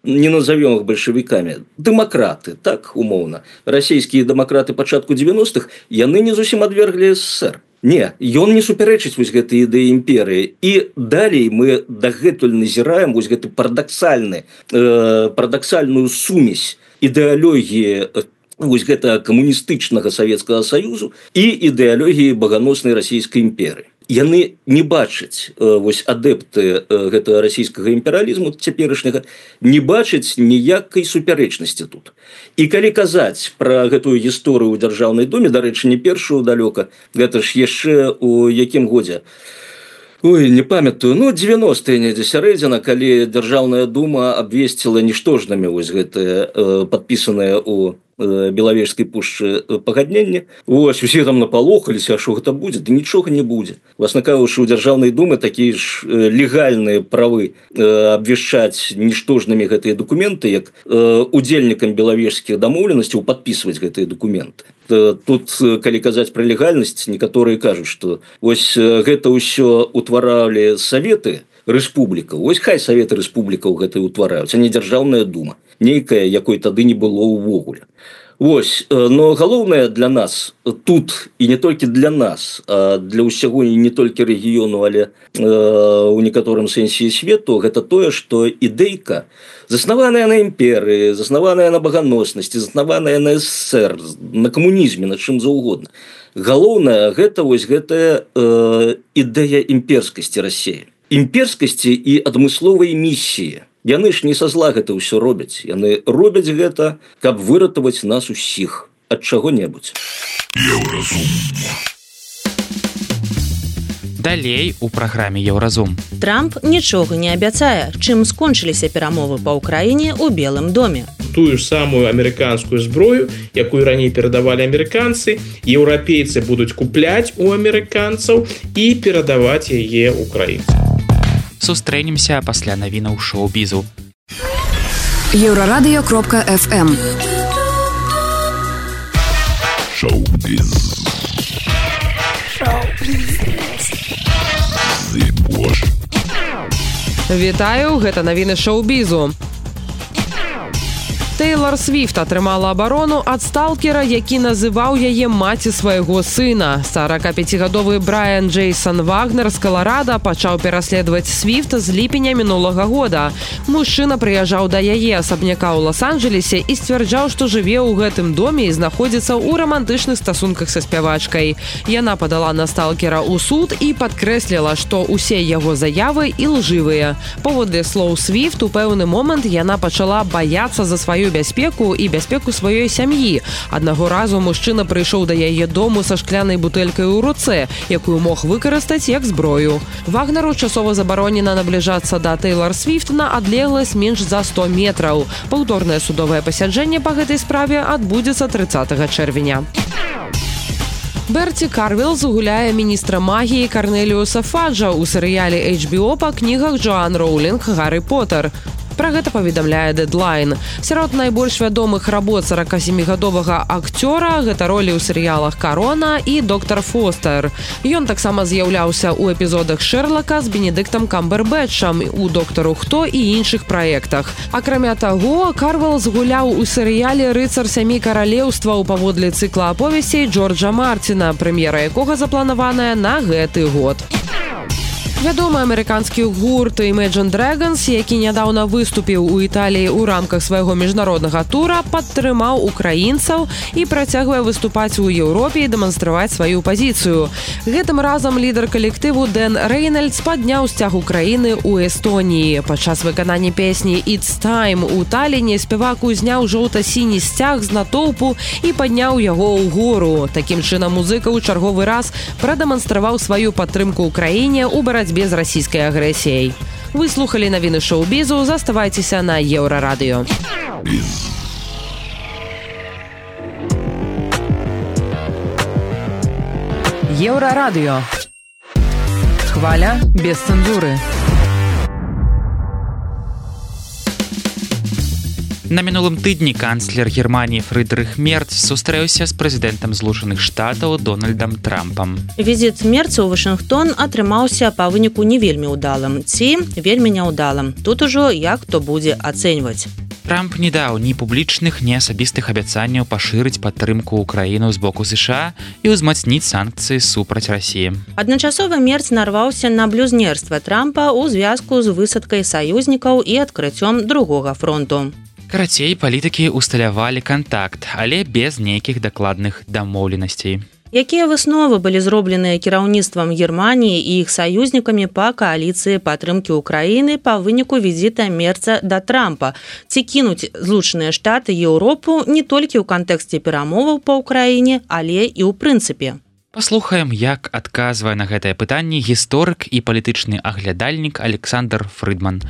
не назовем их бальшавікамі, дэмакраты, так, умоўна. Расійскія дэмакраты пачатку 90-х, яны не зусім адверглі СССР. Не, ён не супярэчыць гэтай ідэі імперыі. І далей мы дагэтуль назіраем гэты парадаксальную сумесь ідэалогіі гэтага камуністычнага Савецкага Саюзу і ідэалогіі баганоснай расійскай імперыі. Яны не бачаць, адэпты гэтага расійскага імперыялізму цяперашняга, не бачаць ніякай супярэчнасці тут. І калі казаць пра гэтую гісторыю ў Дзяржаўнай думе, дарэчы, не першую далёка, гэта ж яшчэ ў якім годзе? Не памятаю, 90-е недзе сярэдзіна, калі Дзяржаўная дума абвесціла ніштожнымі гэтыя падпісаныя ў Белавежскай пушчы пагаднення. Вось усе там напалохаліся, а што гэта будзе, да нічога не будзе. Власна кажучы, у дзяржаўнай думы такія ж легальныя правы абвяшчаць ніштожнымі гэтыя дакументы, як удзельнікам белавежскіх дамоўленасцяў падпісваць гэтыя дакументы. Тут, калі казаць пра легальнасць, некаторыя кажуць, што вось гэта ўсё утваралі саветы рэспублікаў. Вось хай саветы рэспублікаў гэта утвараюць, а не дзяржаўная дума, нейкая, якой тады не было ўвогуле. Вось, но галоўнае для нас тут, і не толькі для нас, а для ўсяго і не толькі рэгіёну, але у некаторым сэнсе свету, гэта тое, што ідэйка, заснаваная на імперыі, заснаваная на баганоснасці, заснаваная на СССР, на камунізме, на чым заўгодна. Галоўнае гэта вось гэтая ідэя імперскасці Расіі. Імперскасці і адмысловай місіі. Яны ж не са зла гэта ўсё робяць. Яны робяць гэта, каб выратаваць нас усіх ад чаго-небудзь. Далей у праграме Еўразум. Трамп нічога не абяцае, чым скончыліся перамовы па ўкраіне ў Белым доме. Тую ж самую амерыканскую зброю, якую раней перадавалі амерыканцы, еўрапейцы будуць купляць у амерыканцаў і перадаваць яе ўкраінцам. Сустрэнемся пасля навінаў шоу-бізу. Еврорадио.FM Шоу-біз. Вітаю, гэта навіны шоу-бізу. Тейлор Свіфт атрымала абарону ад сталкера, які называў яе маці свайго сына. 45-гадовы Брайан Джейсон Вагнер з Каларада пачаў пераследаваць Свіфт з ліпеня мінулага года. Мужчына прыязджаў да яе асабняка ў Лас-Анджелесе і сцвярджаў, што жыве ў гэтым доме і знаходзіцца ў рамантычных стасунках са спявачкай. Яна падала на сталкера ў суд і падкрэсліла, што ўсе яго заявы ілжывыя. Паводле слоў Свіфт, у пэўны момант яна пачала баяцца за сваю бяспеку і бяспеку сваёй сям'і. Аднаго разу мужчына прыйшоў да яе дому са шклянай бутэлькай у руцэ, якую мог выкарыстаць як зброю. Вагнеру часова забаронена набліжацца да Тейлор Свіфт на адлегласць менш за 100 метраў. Паўторнае судовае пасяджэнне па гэтай справе адбудзецца 30 чэрвеня. Берці Карвілз гуляе міністра магіі Карнеліуса Фаджа ў серыяле HBO па кнігах Джоан Роулінг «Гаррі Поттер». Пра гэта паведамляе Deadline. Сярод найбольш вядомых работ 47-гадовага акцёра гэта ролі ў серыялах «Карона» і «Доктар Фостер». Ён таксама з'яўляўся ў эпізодах «Шэрлака» з Бенедыктам Камбербэтчам, у «Доктару Хто» і іншых праектах. Акрамя таго, Карвілз гуляў у серыяле «Рыцар сямі каралеўстваў» паводле цыкла аповесцей Джорджа Мартина, прэм'ера якога запланаваная на гэты год. Вядомы амерыканскі гурт Imagine Dragons, які нядаўна выступіў у Італіі ў рамках свайго міжнароднага тура, падтрымаў украінцаў і працягвае выступаць у Еўропе і дэманстраваць сваю пазіцыю. Гэтым разам лідар калектыву Дэн Рэйнальдс падняў сцяг Украіны ў Эстоніі. Падчас выканання песні «It's Time» у Таліне спевак узняў жоўта-сіні сцяг з натоўпу і падняў яго ўгору. Такім чынам музыка ў чарговы раз прадэманстраваў сваю падтрымку Украіне ў барацьбе з расійскай агрэсіяй. Вы слухалі навіны шоу-бізу, заставайцеся на Еўрарадыё. Еўрарадыё. Хваля без цэнзуры. На мінулым тыдні канцлер Германіі Фрыдрых Мерц сустрэўся з прэзідэнтам Злучаных Штатаў Дональдам Трампам. Візіт Мерца ў Вашынгтон атрымаўся па выніку не вельмі ўдалым, ці вельмі няўдалым. Тут ужо як хто будзе ацэньваць. Трамп не даў ні публічных, ні асабістых абяцанняў пашырыць падтрымку ўкраіну з боку США і ўзмацніць санкцыі супраць Расіі. Адначасова Мерц нарваўся на блюзнерства Трампа ў звязку з высадкай саюзнікаў і адкрыццём другога фронту. Карацей, палітыкі усталявалі кантакт, але без нейкіх дакладных дамоўленасцей. Якія высновы былі зробленыя кіраўніцтвам Германіі і іх саюзнікамі па кааліцыі падтрымкі ўкраіны па выніку візіта Мерца да Трампа? Ці кінуць Злучаныя Штаты Еўропу не толькі ў кантэксце перамоваў па ўкраіне, але і ў прынцыпе? Паслухаем, як адказвае на гэтае пытанне гісторык і палітычны аглядальнік Александр Фрыдман.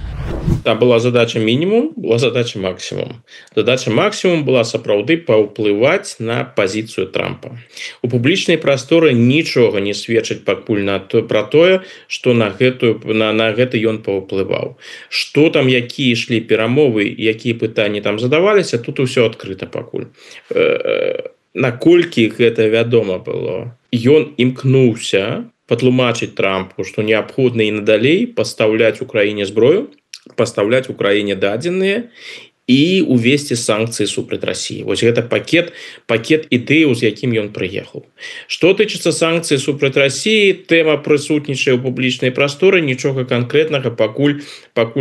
Там была задача мінімум, была задача максімум. Задача максімум была сапраўды паўплываць на пазіцыю Трампа. У публічнай прасторы нічога не сведчыць пакуль пра тое, што на гэты ён паўплываў. Што там, якія ішлі перамовы, якія пытанні там задаваліся, тут усё адкрыта пакуль. Наколькі гэта вядома было, ён імкнуўся патлумачыць Трампу, што неабходна і надалей пастаўляць Украіне зброю, пастаўляць Украіне дадзеныя і увесці санкцыі супраць Расіі. Вось гэта пакет ідэяў, з якім ён прыехаў. Што тычыцца санкцый супраць Расіі, тэма прысутнічае ў публічнай прасторы, нічога канкрэтнага пакуль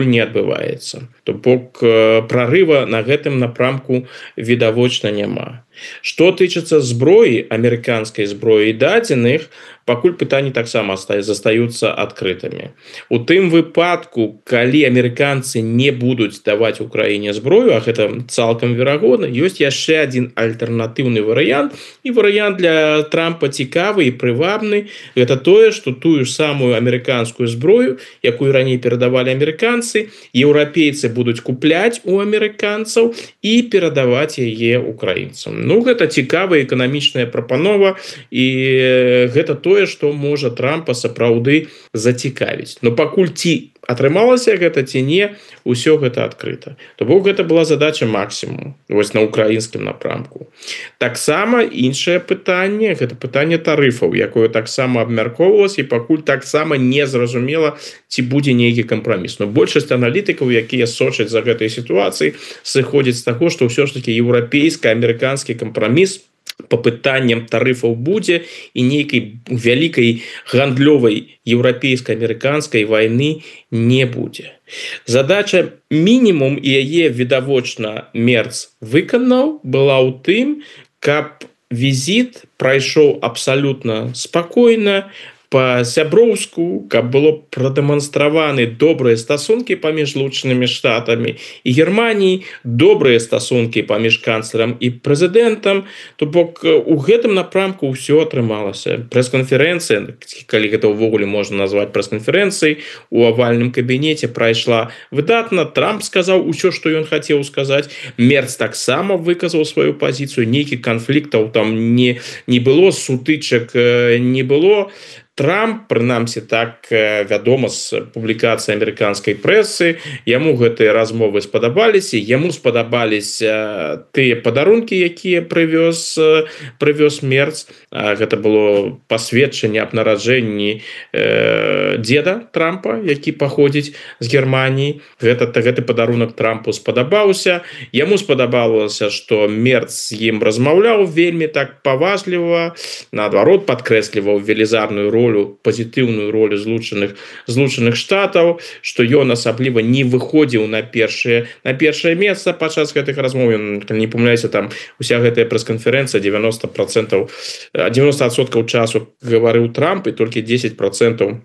не адбываецца. То бок прарыва на гэтым напрамку відавочна няма. Што тычыцца зброі, амерыканскай зброі і дадзеных, пакуль пытанні таксама застаюцца адкрытымі. У тым выпадку, калі амерыканцы не будуць даваць Украіне зброю, а гэта цалкам верагодна, ёсць яшчэ адзін альтэрнатыўны варыянт, і варыянт для Трампа цікавы і прывабны. Гэта тое, што тую самую амерыканскую зброю, якую раней перадавалі амерыканцы, еўрапейцы будуць купляць у амерыканцаў і перадаваць яе украінцам. Ну, гэта цікавая эканамічная прапанова, і гэта тое, што можа Трампа сапраўды зацікавіць. Но пакуль ці атрымалася гэта, ці не, усё гэта адкрыта. То бок гэта была задача максімум, вось на украінскім напрамку. Таксама іншае пытанне, гэта пытанне тарыфаў, якое таксама абмяркоўвалася, і пакуль таксама не зразумела, ці будзе нейкі кампраміс. Но большасць аналітыкаў, якія сочаць за гэтай сітуацыі, сыходзяць з таго, што ўсё ж такі еўрапейска-амерыканскі кампраміс по пытанням тарыфаў будзе, і нейкай вялікай гандлёвай еўрапейска-амерыканскай вайны не будзе. Задача мінімум, і яе відавочна Мерц выканаў, была ў тым, каб візіт прайшоў абсалютна спакойна, па-сяброўску, каб было прадэманстраваны добрыя стасункі паміж Злучанымі Штатамі і Германіяй, добрыя стасункі паміж канцлерам і прэзідэнтам. То бок у гэтым напрамку ўсё атрымалася. Прэс-канферэнцыя, калі гэта ўвогуле можна назваць прэс-канферэнцыяй, у авальным кабінеце прайшла выдатна. Трамп сказаў усё, што ён хацеў сказаць. Мерц таксама выказаў сваю пазіцыю. Нейкіх канфліктаў там не было, сутычак не было. Трамп, прынамсі так вядома з публікацыі амерыканскай прэсы, яму гэтыя размовы спадабаліся, яму спадабаліся тыя падарункі, якія прывёз Мерц. Гэта было пасведчанне аб нараджэнні дзеда Трампа, які паходзіць з Германіі. Гэты падарунак Трампу спадабаўся. Яму спадабалася, што Мерц з ім размаўляў вельмі так паважліва, наадварот, падкрэсліваў велізарную ролю, пазітыўную ролю Злучаных Штатаў, што ён асабліва не выходзіў на першае месца падчас гэтых размоў. Калі не памыляюся, там уся гэтая прэс-канферэнцыя 90% часу гаварыў Трамп, і толькі 10%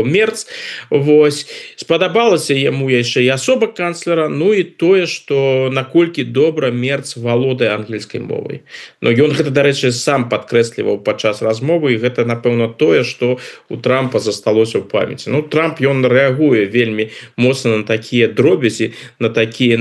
Мерц. Вось. Спадабалася яму яшчэ і асоба канцлера, ну і тое, што наколькі добра Мерц валодае ангельскай мовай. Но ён гэта, дарэчы, сам падкрэсліваў падчас размовы, і гэта, напэўна, тое, што у Трампа засталося ў памяці. Ну, Трамп, ён рэагуе вельмі моцна на такія дробязі, на такія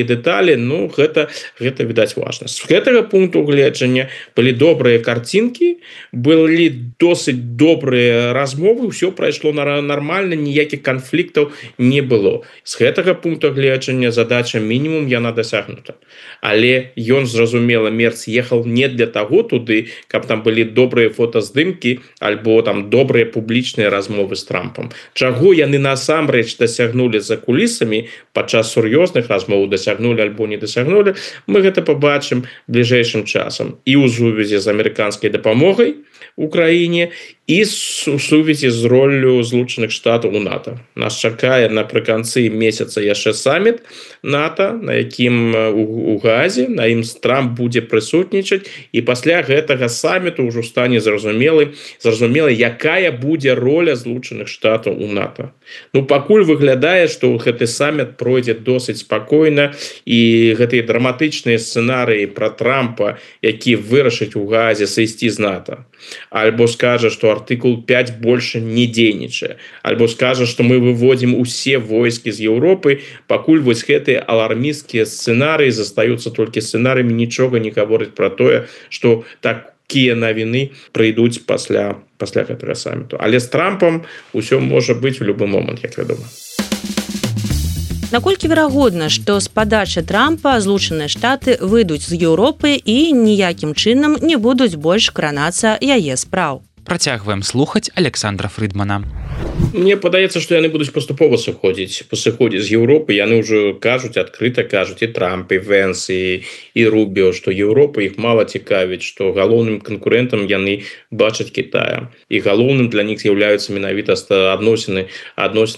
дэталі, ну, гэта відаць важна. З гэтага пункту гледжання былі добрыя карцінкі, былі досыць добрыя размовы, ўсё прайшло нармальна, ніякіх канфліктаў не было. З гэтага пункту гледжання задача мінімум яна дасягнута. Але ён, зразумела, Мерц ехаў не для таго туды, каб там былі добрыя фотаздымкі альбо там добрыя публічныя размовы з Трампам. Чаго яны насамрэч дасягнулі за кулісамі, падчас сур'ёзных размоў дасягнулі альбо не дасягнулі, мы гэта пабачым бліжэйшым часам. І ў сувязі з амерыканскай дапамогай Украіне, і у сувязі з роллю Злучаных Штатаў у НАТО. Нас чакае напрыканцы месяца яшчэ саміт НАТО, на якім у Газе, на ім Трамп будзе прысутнічаць, і пасля гэтага саміту ўжо стане зразумела, якая будзе роля Злучаных Штатаў у НАТО. Ну, пакуль выглядае, што гэты саміт пройдзе досыць спакойна, і гэтыя драматычныя сцэнарыі пра Трампа, які вырашыць у Газе сысці з НАТО, альбо скажа, что артыкул 5 больше не дзейнічае, альбо скажа, что мы выводим усе войскі з Еўропы, пакуль вось гэтыя алармісцкія сцэнарыі застаюцца толькі сцэнарыямі, нічога не гаворыць про тое, что такія навіны прыйдуць пасля гэтага саміту. Але з Трампам усё можа быць у любы момант, як вядома. Наколькі верагодна, што з падачы Трампа Злучаныя Штаты выйдуць з Еўропы і ніякім чынам не будуць больш кранацца яе спраў. Працягваем слухаць Александра Фрыдмана. Мне падаецца, што яны будуць паступова сыходзіць з Еўропы. Яны ўжо кажуць, адкрыта кажуць, і Трамп, і Вэнс, і Рубіо, што Еўропа іх мала цікавіць, што галоўным канкурэнтам яны бачаць Кітая. І галоўным для них з'яўляюцца менавіта адносіны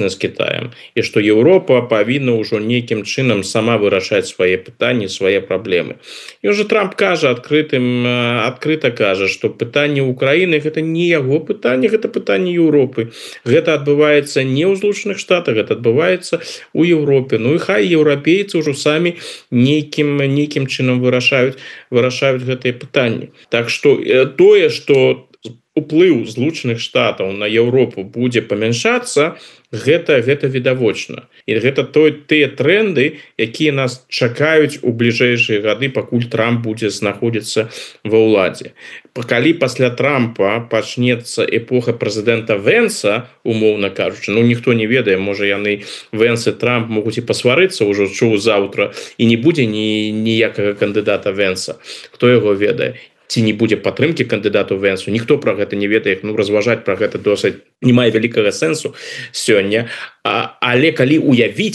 з Кітаем. І што Еўропа павінна ўжо нейкім чынам сама вырашаць свае пытанні, свае праблемы. І ўжо Трамп кажа, адкрыта кажа, што пытанне Украіны гэта не яго пытанне, гэта пытанне Еўропы. Гэта адбываецца не ў Злучаных Штатах, гэта адбываецца ў Еўропе. Ну і хай еўрапейцы ўжо самі нейкім чынам вырашаюць гэтыя пытанні. Так што тое, што уплыў Злучаных Штатаў на Еўропу будзе памяншацца, гэта відавочна. І гэта тыя тренды, якія нас чакаюць у бліжэйшыя гады, пакуль Трамп будзе знаходзіцца ва ўладзе. Калі пасля Трампа пачнецца эпоха прэзідэнта Вэнса, умоўна кажучы, ніхто не ведае, можа яны Вэнс і Трамп могуць і пасварыцца ўжо заўтра, і не будзе ніякага кандыдата Вэнса. Хто яго ведае? Ці не будзе падтрымкі кандыдату Вэнсу, ніхто пра гэта не ведае, разважаць пра гэта досыць не мае вялікага сэнсу сёння. Але калі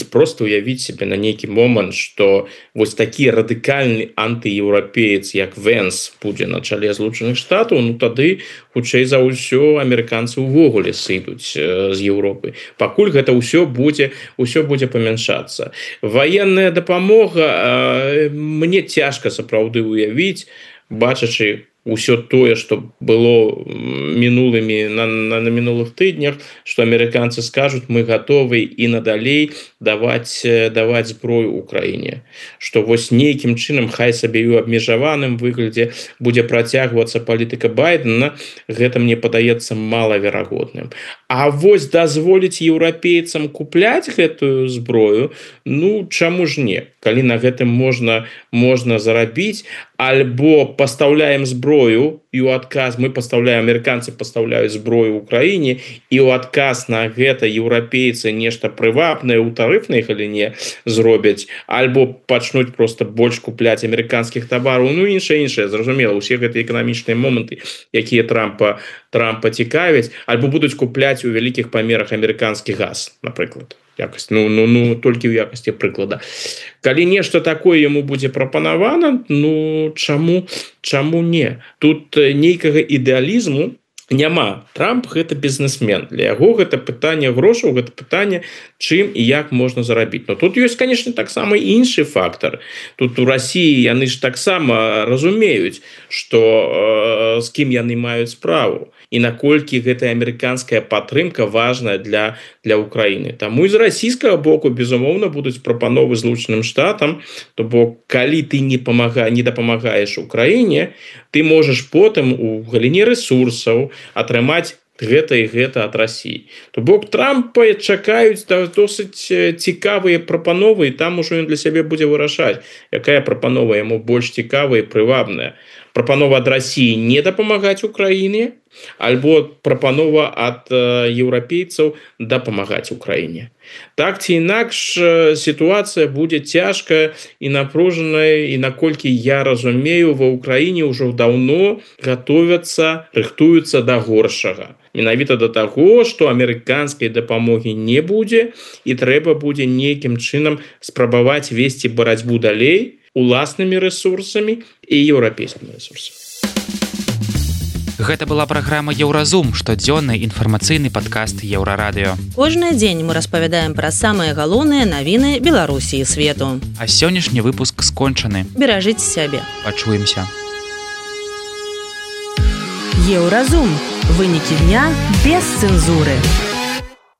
проста уявіць себе на нейкі момант, што вось такі радыкальны антыеўрапеец, як Вэнс, будзе на чале Злучаных Штатаў, тады, хутчэй за ўсё, амерыканцы ўвогуле сыдуць з Еўропы. Пакуль гэта ўсё будзе памяншацца. Ваенная дапамога, мне цяжка сапраўды уявіць, бачачы ўсё тое, што было на мінулых тыднях, што амерыканцы скажуць, мы гатовы і надалей даваць зброю Украіне. Што вось нейкім чынам, хай сабе і ў абмежаваным выглядзе будзе працягвацца палітыка Байдена, гэта мне падаецца малаверагодным. А вось дазволіць еўрапейцам купляць гэтую зброю, чаму ж не? Калі на гэтым можна зарабіць, альбо пастаўляем зброю, і ў адказ амерыканцы пастаўляюць зброю ў Украіне, і ў адказ на гэта еўрапейцы нешта прывабнае ў тарыфнай галіне зробяць, альбо пачнуць проста больш купляць амерыканскіх тавараў, іншае, зразумела, усе гэтыя эканамічныя моманты, якія Трампа цікавяць, альбо будуць купляць у вялікіх памерах амерыканскі газ, напрыклад. Толькі ў якасці прыклада. Калі нешта такое яму будзе прапанавана, чаму не? Тут нейкага ідэалізму няма. Трамп гэта бізнесмен. Для яго гэта пытанне грошаў, гэта пытанне, чым і як можна зарабіць. Тут ёсць, канешне, таксама іншы фактар. Тут у Расіі яны ж таксама разумеюць, што з кім яны маюць справу і наколькі гэтая амерыканская падтрымка важная для Украіны. Таму і з расійскага боку, безумоўна, будуць прапановы Злучаным Штатам, то бок калі ты не дапамагаеш Украіне, ты можаш потым у галіне рэсурсаў атрымаць гэта і гэта ад Расіі. То бок Трампа чакаюць досыць цікавыя прапановы, і там ужо ён для сябе будзе вырашаць, якая прапанова яму больш цікавая і прывабная. Прапанова ад Расіі не дапамагаць Украіне, альбо прапанова ад еўрапейцаў дапамагаць Украіне. Так ці інакш, сітуацыя будзе цяжкая і напружаная, і наколькі я разумею, ва Ўкраіне ўжо даўно рыхтуюцца да горшага. Менавіта да таго, што амерыканскай дапамогі не будзе, і трэба будзе нейкім чынам спрабаваць весці барацьбу далей уласнымі рэсурсамі і еўрапейскімі рэсурсамі. Гэта была праграма «Еўразум», штодзённы інфармацыйны падкаст Еўрарадыё. Кожны дзень мы распавядаем пра самыя галоўныя навіны Беларусі і свету. А сённяшні выпуск скончаны. Беражыце сябе. Пачуемся. Еўразум. Вынікі дня без цэнзуры.